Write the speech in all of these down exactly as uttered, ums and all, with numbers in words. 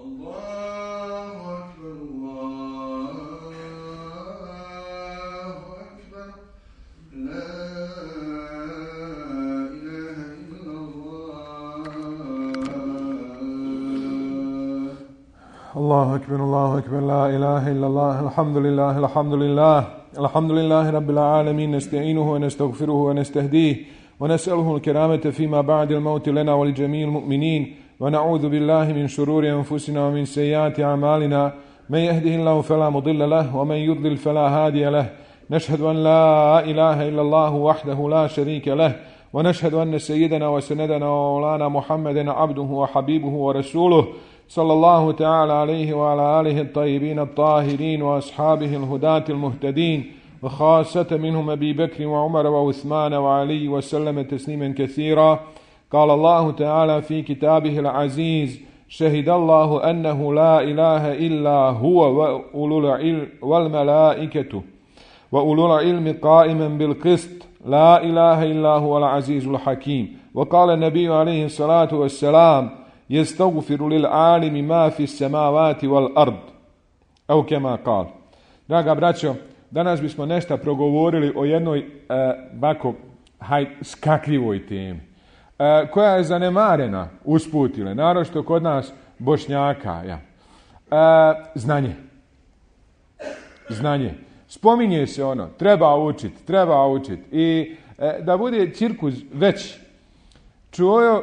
الله أكبر الله أكبر لا إله إلا الله الحمد لله الحمد لله الحمد لله رب العالمين نستعينه ونستغفره ونستهديه ونسأله الكرامة فيما بعد الموت لنا ولجميع المؤمنين ونعوذ بالله من شرور أنفسنا ومن سيئات أعمالنا من يهده الله فلا مضل له ومن يضلل فلا هادي له نشهد أن لا إله إلا الله وحده لا شريك له ونشهد أن سيدنا وسندنا ومولانا محمدا عبده وحبيبه ورسوله صلى الله تعالى عليه وعلى آله الطيبين الطاهرين وأصحابه الهداة المهتدين وخاصة منهم أبي بكر وعمر وعثمان وعلي وسلم تسليما كثيرا. قال الله تعالى في كتابه العزيز شهد الله أنه لا إله إلا هو وأولو العلم والملائكة وأولو العلم قائما بالقسط لا إله إلا هو العزيز الحكيم. وقال النبي عليه الصلاة والسلام يستغفر للعالم ما في السماوات والأرض أو كما قال. Draga braćo, danas bismo nešto progovorili o jednoj e, bako haj, skakljivoj temi e, koja je zanemarena usputile, naročito kod nas Bošnjaka. Ja. E, znanje. Znanje. Spominje se ono, treba učiti, treba učiti. I e, da bude cirkus već čuo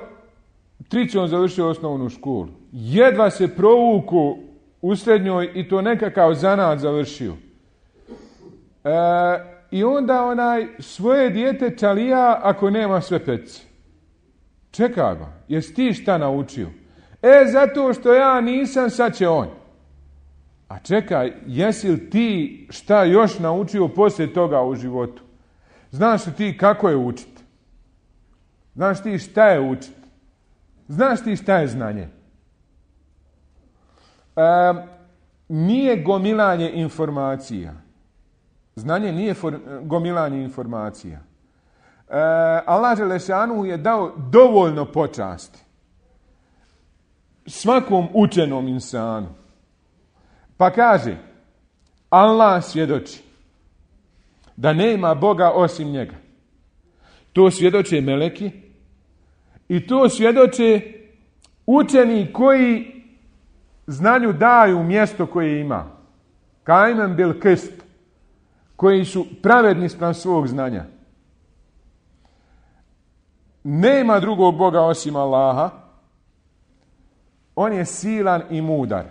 Trićom završio osnovnu školu. Jedva se provuku u srednjoj i to nekakav zanat završio. E, I onda onaj svoje dijete čalija ako nema sve petice. Čekaj ba, jesi ti šta naučio? E, zato što ja nisam, sad će on. A čekaj, jesi li ti šta još naučio poslije toga u životu? Znaš li ti kako je učiti? Znaš ti šta je učiti? Znaš ti šta je znanje? E, nije gomilanje informacija. Znanje nije for, gomilanje informacija. E, Allah Đelešanu je dao dovoljno počasti svakom učenom insanu. Pa kaže, Allah svjedoči da nema Boga osim njega. To svjedoče meleki i to svjedoče učeni koji znanju daju mjesto koje ima. Kaimen bil kist, koji su pravedni spram svog znanja. Nema drugog Boga osim Allaha. On je silan i mudar.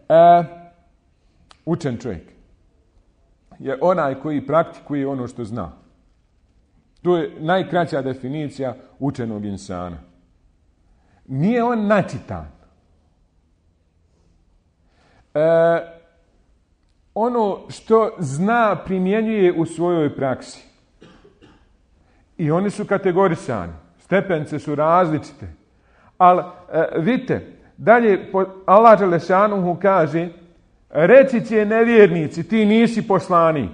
E, učen čovjek je onaj koji praktikuje ono što zna. To je najkraća definicija učenog insana. Nije on načitan. E, ono što zna primjenjuje u svojoj praksi. I oni su kategorisani. Stepence su različite. Ali e, vidite, dalje Allah Đelešanuhu kaže, reći će nevjernici, ti nisi poslanik.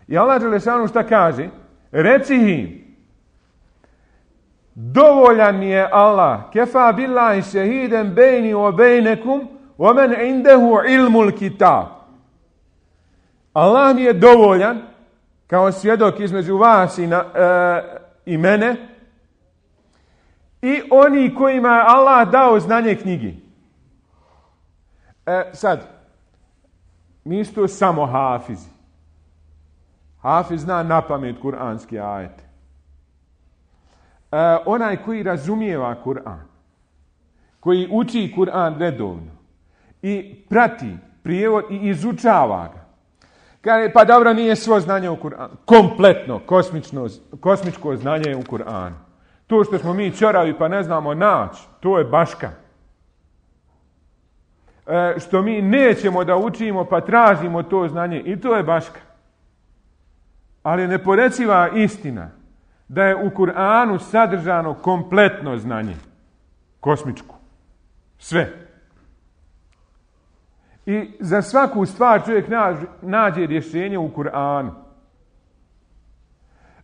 I Allah Đelešanuhu šta kaže? Reci im, dovoljan mi je Allah, kefa billahi šehiden bejni o bejnekum, o men indehu ilmul kitab. Allah mi je dovoljan, kao svjedok između vas i, na, e, i mene, i oni kojima je Allah dao znanje knjigi. E, sad, nisu samo hafizi. Hafiz zna napamet kuranski ajete. E, onaj koji razumijeva Kur'an, koji uči Kur'an redovno i prati prijevod i izučava ga. Kaže, pa dobro, nije svo znanje u Kur'anu. Kompletno, kosmično, kosmičko znanje u Kur'anu. To što smo mi ćoravi pa ne znamo naći, to je baška. E, što mi nećemo da učimo pa tražimo to znanje, i to je baška. Ali neporeciva istina da je u Kur'anu sadržano kompletno znanje. Kosmičko. Sve. I za svaku stvar čovjek nađe, nađe rješenje u Kur'anu.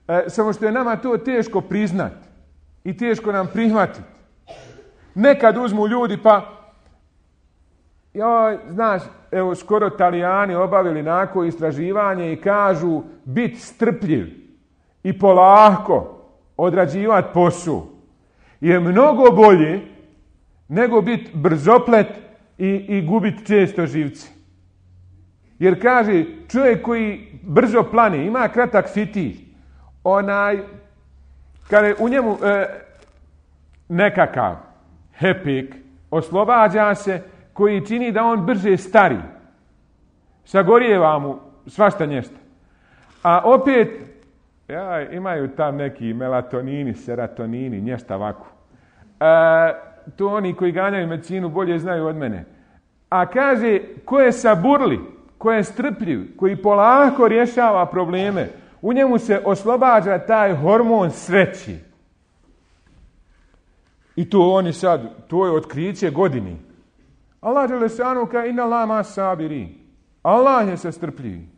E, samo što je nama to teško priznati i teško nam prihvatiti. Nekad uzmu ljudi pa, joj, znaš, evo skoro Talijani obavili nako istraživanje i kažu bit strpljiv i polako odrađivati posao je mnogo bolje nego biti brzoplet i, i gubiti često živce. Jer kaže, čovjek koji brzo plani, ima kratak fitilj, onaj, kada je u njemu e, nekakav hepik, oslobađa se, koji čini da on brže stari. Sagorijeva mu svašta nješta. A opet, ja, imaju tam neki melatonini, serotonini, nješta ovako. E, to oni koji ganjaju medicinu bolje znaju od mene. A kaže, ko je saburli, ko je strpljiv, koji polako rješava probleme, u njemu se oslobađa taj hormon sreći. I to oni sad, to je otkriće godini. Allah dželešanu kaže inna Allaha ma'as sabirin. Allah je sa strpljivim.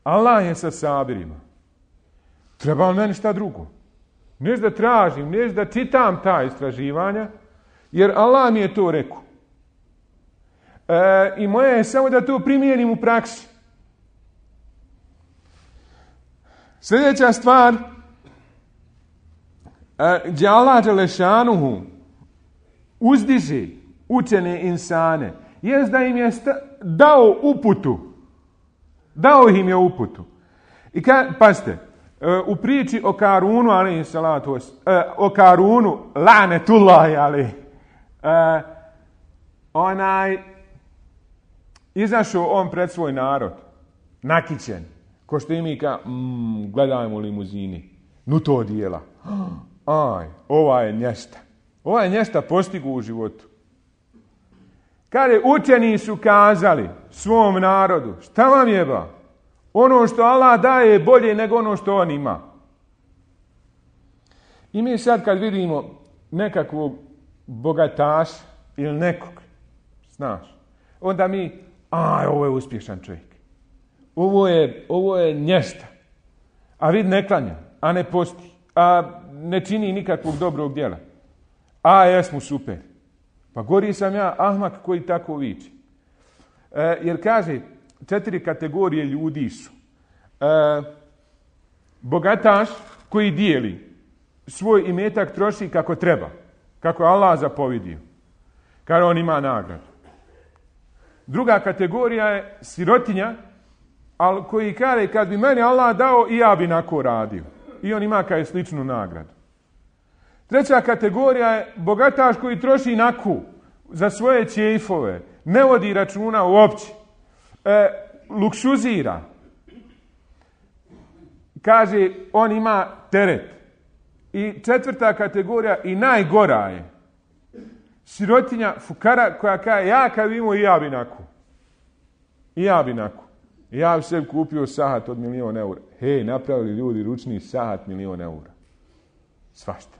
Allah je sa sabirima. Treba li meni šta drugo? Neš da tražim, neš da čitam ta istraživanja, jer Allah mi je to rekao. E, I moje je samo da to primijenim u praksi. Sljedeća stvar, e, gdje Allah dželešanuhu uzdiže učene insane, jest da im je sta- dao uputu. Dao im je uputu. I ka, pazite, u priči o Karunu, alejhi salatu vas, o Karunu, lanetullahi alejhi, onaj, izašao on pred svoj narod, nakićen, ko što i mi ka, mm, gledajmo u limuzini, nu to dijela. Aj, ova je nješta. Ova je nješta postigu u životu. Kad je učeni su kazali svom narodu, šta vam jeba? Ono što Allah daje je bolje nego ono što on ima. I mi sad kad vidimo nekakvog bogataša ili nekog, znaš, onda mi, aj, ovo je uspješan čovjek. Ovo je, ovo je nješta. A vid ne klanja, a ne posti, a ne čini nikakvog dobrog djela. A jesmo super. Pa gori sam ja ahmak koji tako viči. E, jer kaže, četiri kategorije ljudi su. E, bogataš koji dijeli svoj imetak troši kako treba. Kako je Allah zapovidio. Kada on ima nagradu. Druga kategorija je sirotinja, ali koji kaže, kad bi meni Allah dao, i ja bi nako radio. I on ima kao sličnu nagradu. Treća kategorija je bogataš koji troši naku za svoje čejfove, ne vodi računa uopće, e, luksuzira. Kaže, on ima teret. I četvrta kategorija i najgora je sirotinja, fukara koja kaže, ja kad bi imao i ja bi naku. I ja bi naku. I ja bi sebi kupio sahat od milion eura. Hej, napravili ljudi ručni sahat milion eura. Svašta.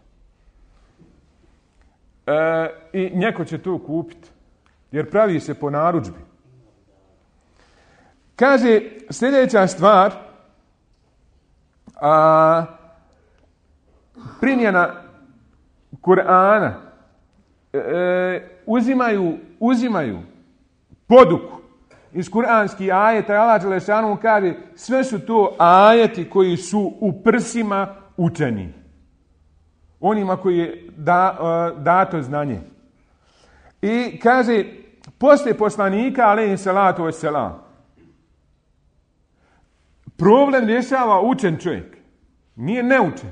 E, I njeko će to kupiti. Jer pravi se po narudžbi. Kaže, sljedeća stvar, a, primjena Kur'ana, e, uzimaju, uzimaju poduku iz kuranskih ajeta. Allah dželešanu kaže, sve su to ajeti koji su u prsima učeni. Onima koji je da, uh, dato znanje. I kaže, poslije poslanika, alejhi salatu vesselam, problem rješava učen čovjek. Nije neučen.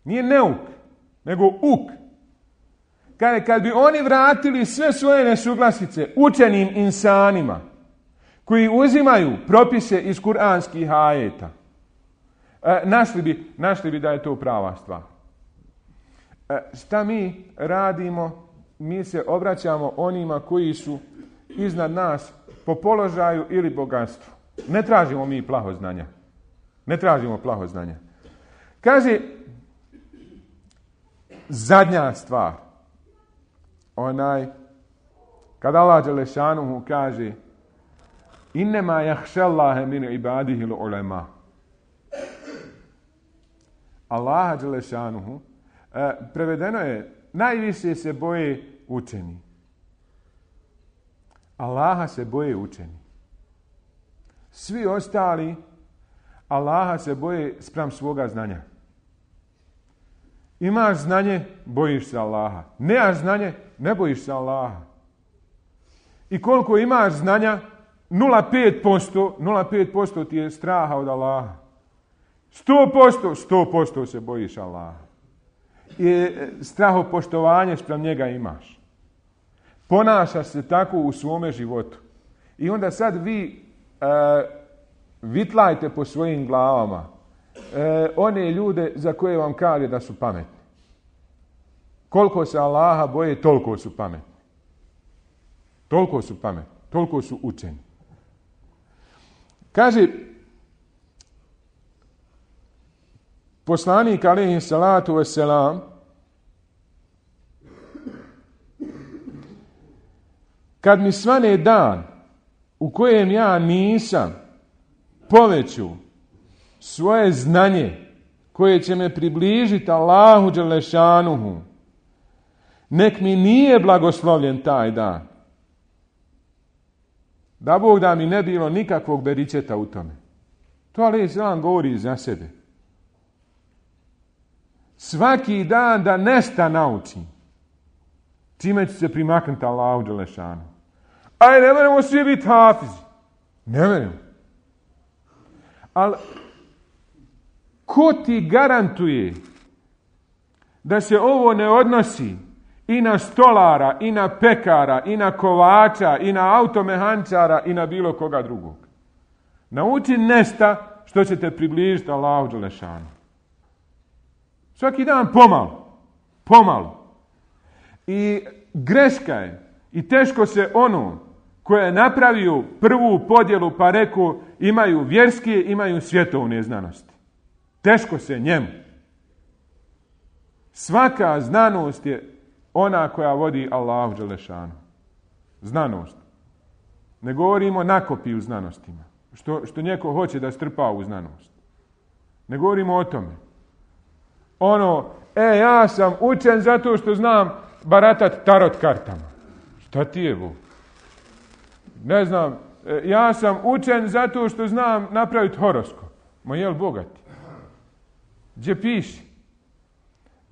Nije neuk, nego uk. Kaže, kad bi oni vratili sve svoje nesuglasice učenim insanima, koji uzimaju propise iz kuranskih ajeta, e, našli bi, našli bi da je to prava stvar. E, šta mi radimo? Mi se obraćamo onima koji su iznad nas po položaju ili bogatstvu. Ne tražimo mi plaho znanja. Ne tražimo plaho znanja. Kaže, zadnja stvar. Onaj, kada Allah dželešanuhu kaže, innema jahšallahe min ibadihil ulema. Allah dželešanuhu E, prevedeno je, najviše se boje učeni. Allaha se boje učeni. Svi ostali Allaha se boje spram svoga znanja. Imaš znanje, bojiš se Allaha. Nemaš znanje, ne bojiš se Allaha. I koliko imaš znanja, nula zarez pet posto, nula zarez pet posto ti je straha od Allaha. sto posto, sto posto se bojiš Allaha. I strahopoštovanje spram njega imaš. Ponašaš se tako u svome životu. I onda sad vi uh, vitlajte po svojim glavama uh, one ljude za koje vam kaže da su pametni. Koliko se Allaha boje, toliko su pametni. Toliko su pametni, toliko su učeni. Kaže poslanik alejhi salatu vesselam, kad mi svane dan u kojem ja nisam poveću svoje znanje koje će me približiti Allahu dželešanuhu, nek mi nije blagoslovljen taj dan. Da Bog da mi ne bilo nikakvog beričeta u tome. To alejhi selam govori za sebe. Svaki dan da nešta naučim, čime ću se primaknuti Allahu dželešanu. Aj, ne moramo svi biti hafizi. Ne moramo. Ali, ko ti garantuje da se ovo ne odnosi i na stolara, i na pekara, i na kovača, i na automehančara, i na bilo koga drugog? Nauči nešta što će te približiti Allahu dželešanu. Svaki dan pomalo. Pomalo. I greška je, i teško se ono koje je napravio prvu podjelu pa rekao imaju vjerske, imaju svjetovne znanosti. Teško se njemu. Svaka znanost je ona koja vodi Allahu dželešanu. Znanost. Ne govorimo nakopi u znanostima. Što, što neko hoće da strpa u znanost. Ne govorimo o tome. Ono, e, ja sam učen zato što znam baratat tarot kartama. Šta ti je, Bog? Ne znam, e, ja sam učen zato što znam napraviti horoskop. Ma jel bogati? Gdje piši?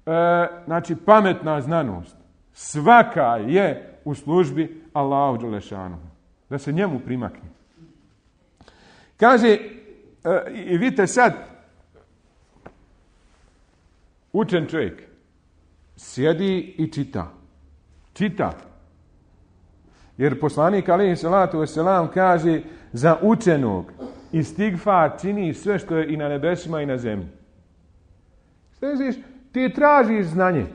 E, znači, pametna znanost. Svaka je u službi Allahu dželešanu. Da se njemu primakne. Kaže, e, i vidite sad, učen čovjek sjedi i čita. Čita. Jer poslanik alejhi salatu vesselam kaže za učenog istigfar čini sve što je i na nebesima i na zemlji. Sveziš, ti tražiš znanje.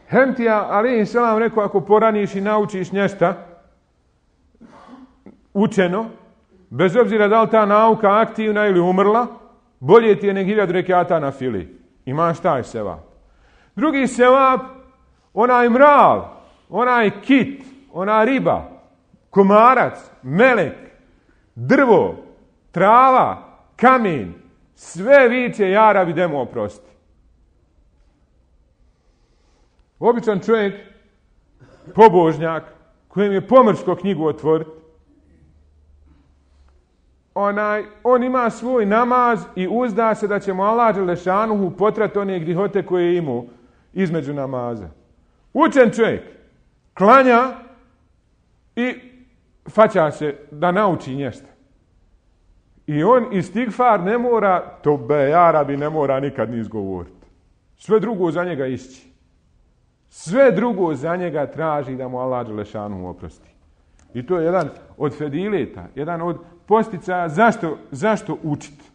Hem ti ja, alejhi selam rekao, ako poraniš i naučiš nešto učeno, bez obzira da li ta nauka aktivna ili umrla, bolje ti je nek hiljadu rekata na fili. Imaš taj sevap. Drugi sevap, onaj mrav, onaj kit, ona riba, komarac, melek, drvo, trava, kamen, sve viče ja rabi demo oprosti. Običan čovjek, pobožnjak, kojem je pomrsko knjigu otvoriti, onaj, on ima svoj namaz i uzda se da će mu Allah dželešanuhu potrati one grihote koje je imao između namaza. Učen čovjek klanja i faća se da nauči nešto. I on istigfar ne mora, to be jarabi ne mora nikad ni izgovoriti. Sve drugo za njega išći. Sve drugo za njega traži da mu Allah dželešanuhu oprosti. I to je jedan od fedileta, jedan od posticaja zašto, zašto učiti.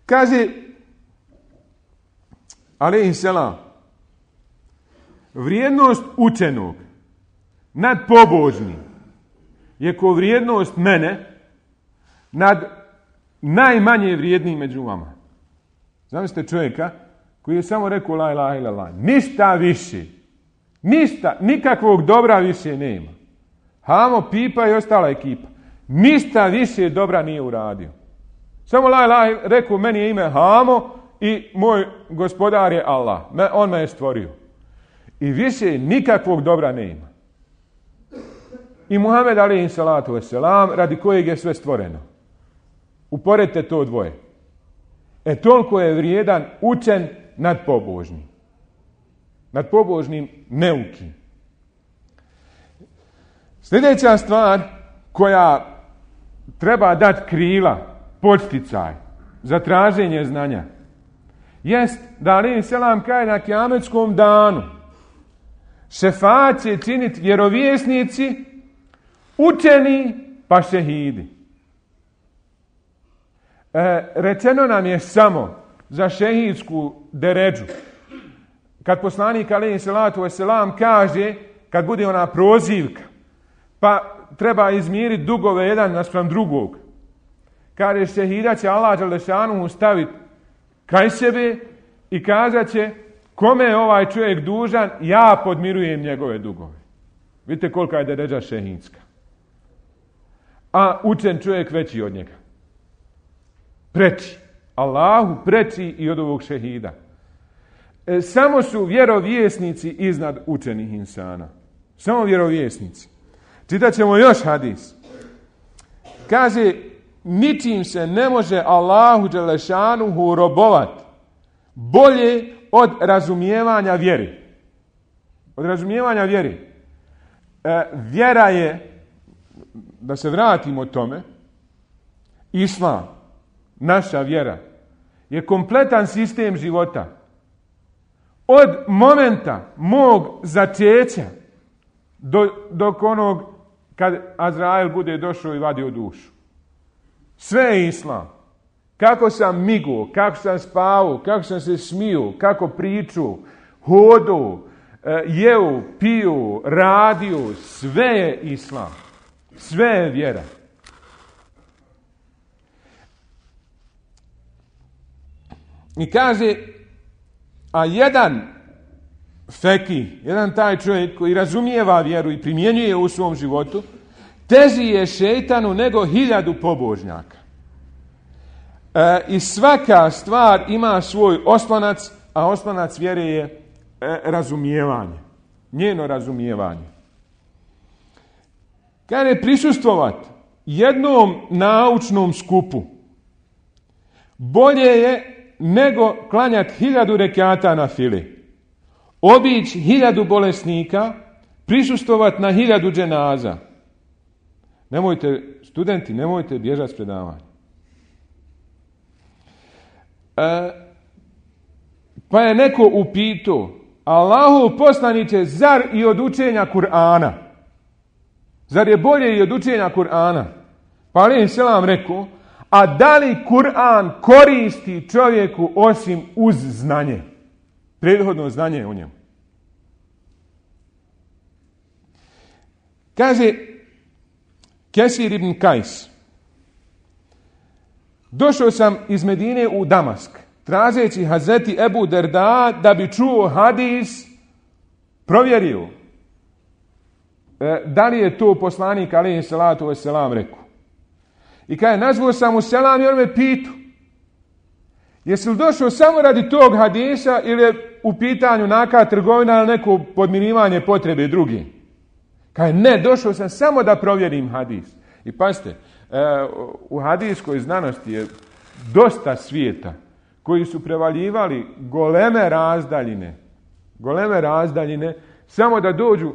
Kaže alejhi selam, vrijednost učenog nad pobožnim je ko vrijednost mene nad najmanje vrijednim među vama. Zamislite čovjeka koji je samo rekao la ilaha illallah. Ništa više. Ništa, nikakvog dobra više nema. Hamo, Pipa i ostala ekipa. Ništa više dobra nije uradio. Samo la ilaha, rekao, meni je ime Hamo i moj gospodar je Allah. On me je stvorio. I više nikakvog dobra ne ima. I Muhammed alejhi salatu vesselam, radi kojeg je sve stvoreno. Uporedite to dvoje. E toliko je vrijedan učen nad pobožnim. Nad pobožnim neukim. Sljedeća stvar koja treba dati krila, podsticaj za traženje znanja, jest da alejhi selam kaže na kijametskom danu šefaat će činiti vjerovjesnici, učeni pa šehidi. E, rečeno nam je samo za šehidsku deređu. Kad poslanik alejhi salatu vesselam kaže, kad bude ona prozivka, pa treba izmiriti dugove jedan naspram drugog. Kaže, šehida će Allah dželešanu staviti kraj sebe i kazat će, kome je ovaj čovjek dužan, ja podmirujem njegove dugove. Vidite kolika je deređa šehidska. A učen čovjek veći od njega. Preči. Allahu preči i od ovog šehida. E, samo su vjerovjesnici iznad učenih insana. Samo vjerovjesnici. Čitat ćemo još hadis. Kaže, ničim se ne može Allahu dželešanuhu robovat bolje od razumijevanja vjeri. Od razumijevanja vjeri. E, vjera je, da se vratimo tome, Islam, naša vjera, je kompletan sistem života. Od momenta mog začeća do, dok onog kad Azrael bude došao i vadio dušu. Sve je Islam. Kako sam migo, kako sam spavao, kako sam se smio, kako pričao, hodo, jeo, pio, radio, sve je Islam. Sve je vjera. I kaže, a jedan feki, jedan taj čovjek koji razumijeva vjeru i primjenjuje u svom životu, teži je šejtanu nego hiljadu pobožnjaka. E, I svaka stvar ima svoj oslonac, a oslonac vjere je e, razumijevanje. Njeno razumijevanje. Kada je prisustvovati jednom naučnom skupu, bolje je nego klanjati hiljadu rekata na fili. Obići hiljadu bolesnika, prisustvovati na hiljadu dženaza. Nemojte, studenti, nemojte bježati s predavanja. E, pa je neko upitao, Allahu poslaniće, zar i od učenja Kur'ana? Zar je bolje i od učenja Kur'ana? Pa alejhi selam rekao, a da li Kur'an koristi čovjeku osim uz znanje? Prethodno znanje u njemu. Kaže Kesir ibn Kajs, došao sam iz Medine u Damask, tražeći Hazreti Ebu Derda da bi čuo hadis, provjerio e, da li je to poslanik alejhi salatu vesselam rekao. I kaže, nazvao sam mu selam i on me pitu, jesi li došao samo radi tog hadisa ili je u pitanju neka trgovina ili neko podmirivanje potrebe druge? Kaže, ne, došao sam samo da provjerim hadis. I pazite, u hadiskoj znanosti je dosta svijeta koji su prevaljivali goleme razdaljine, goleme razdaljine, samo da dođu,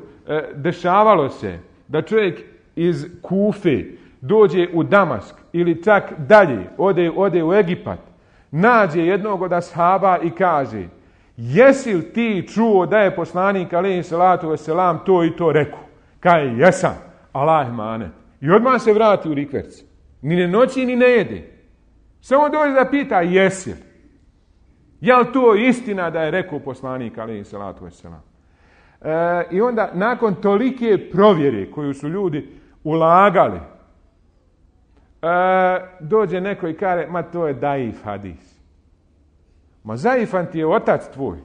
dešavalo se da čovjek iz Kufe dođe u Damask ili čak dalje, ode, ode u Egipat, nađe jednog od ashaba i kaže, jesi li ti čuo da je poslanik alejhi salatu vesselam to i to rekao? Kaže, jesam, Allah emanet. I odmah se vrati u rikverc. Ni ne noći, ni ne jede. Samo dođe da pita, jesi li? Je li to istina da je rekao poslanik alejhi salatu vesselam? E, I onda, nakon tolike provjere koju su ljudi ulagali, e, dođe neko i kaže, ma to je daif hadis. Ma zaifan ti je otac tvoj.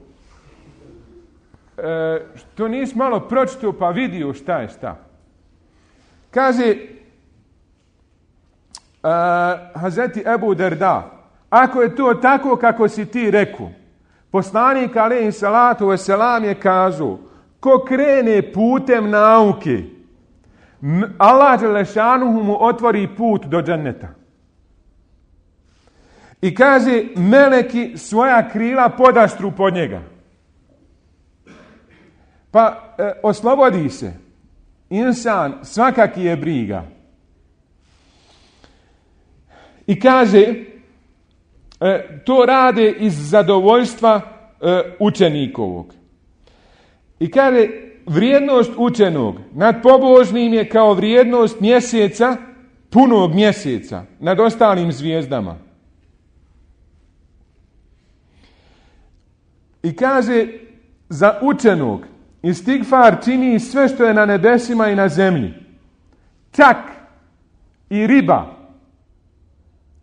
E, što nisi malo pročitao pa vidio šta je šta. Kaže uh, Hazreti Ebu Derda, ako je to tako kako si ti rekao, poslanik alejhi salatu vesselam je kazao, ko krene putem nauke, Allah dželešanuhu mu otvori put do dženneta. I kaže, meleki svoja krila podastru pod njega. Pa e, oslobodi se. Insan svakaki je briga. I kaže, e, to rade iz zadovoljstva e, učenikovog. I kaže, vrijednost učenog nad pobožnim je kao vrijednost mjeseca, punog mjeseca, nad ostalim zvijezdama. I kaže, za učenog istigfar čini sve što je na nebesima i na zemlji. Čak i riba.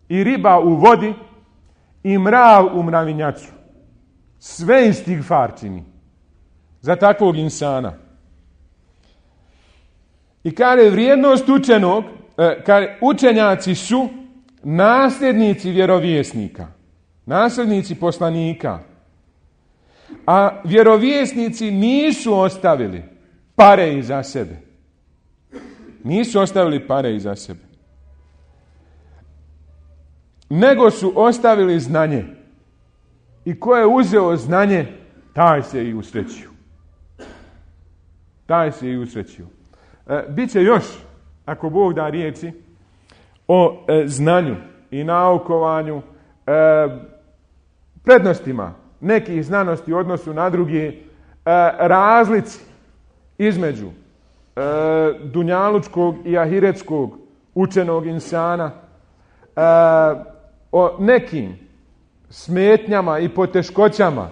I riba u vodi i mrav u mravinjaču. Sve istigfar čini. Za takvog insana. I kaže, vrijednost učenog, kaže, učenjaci su nasljednici vjerovjesnika. Nasljednici poslanika. A vjerovjesnici nisu ostavili pare iza sebe. Nisu ostavili pare iza sebe. Nego su ostavili znanje. I ko je uzeo znanje, taj se i usrećio. Taj se i usrećio. E, Biće još, ako Bog da riječi, o e, znanju i naukovanju, e, prednostima nekih znanosti u odnosu na druge, e, razlici između e, dunjalučkog i ahiretskog učenog insana, e, o nekim smetnjama i poteškoćama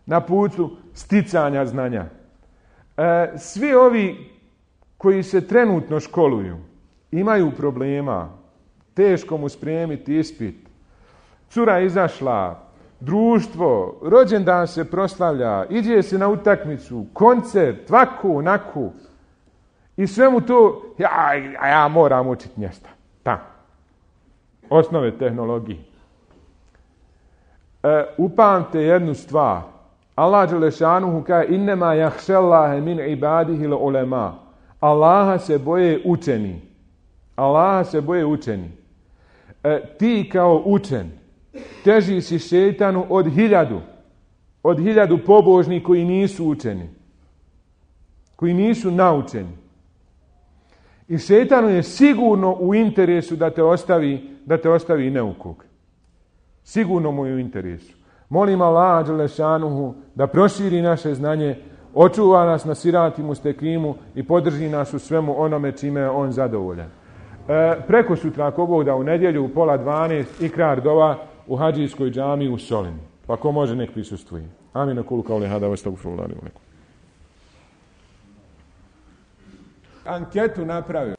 na putu sticanja znanja. E, svi ovi koji se trenutno školuju imaju problema, teško mu spremiti ispit, cura izašla, društvo, rođendan se proslavlja, iđe se na utakmicu, koncert, ovako, onako. I svemu to, ja, ja moram učiti mjesta. Ta. Osnove tehnologije. E, upamte jednu stvar. Allah dželešanuhu kaže, innema jahšellahe min ibadihi l'ulema. Allaha se boje učeni. Allaha se boje učeni. E, ti kao učen, teži si šejtanu od hiljadu, od hiljadu pobožni koji nisu učeni, koji nisu naučeni. I šejtanu je sigurno u interesu da te ostavi, da te ostavi neukog. Sigurno mu je u interesu. Molim Allaha dželešanuhu da proširi naše znanje, očuva nas na sirati mustekimu i podrži nas u svemu onome čime je on zadovoljan. E, preko sutra, ako Bog da, u nedjelju u pola dvanaest ikrar dova u hadžijskoj džamiji u Solinu. Pa ko može, nek prisustvuje. Amin, akulu kauli hada, vastagfirullah li wa lakum. Anketu napravio.